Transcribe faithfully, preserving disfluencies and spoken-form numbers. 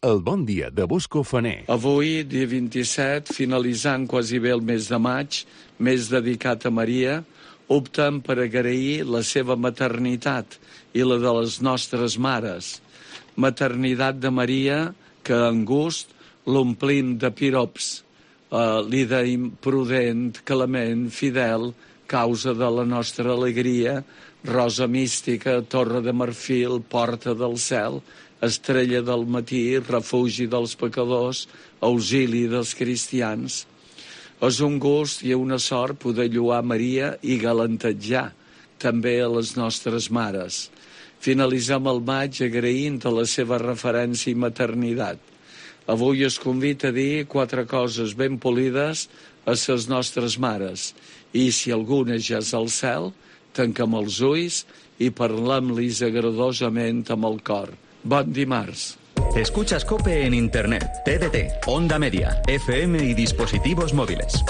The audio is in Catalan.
El bon dia de Bosco Faner. Avui, dia vint-i-set, finalitzant quasi bé el mes de maig, mes dedicat a Maria, optem per agrair la seva maternitat i la de les nostres mares. Maternitat de Maria que en gust l'omplim de pirops. Uh, li deim prudent, clement, fidel, causa de la nostra alegria, rosa mística, torre de marfil, porta del cel, estrella del matí, refugi dels pecadors, auxili dels cristians. És un gust i una sort poder lloar Maria i galantejar també a les nostres mares. Finalitzem el maig agraint a la seva referència i maternitat. Avui es convida a dir quatre coses ben polides a les nostres mares. I si alguna ja és al cel, tanquem els ulls i parlem-lis agradosament amb el cor. Bon dimarts. Escuchas COPE en Internet, T D T, Onda Media, F M y dispositivos móviles.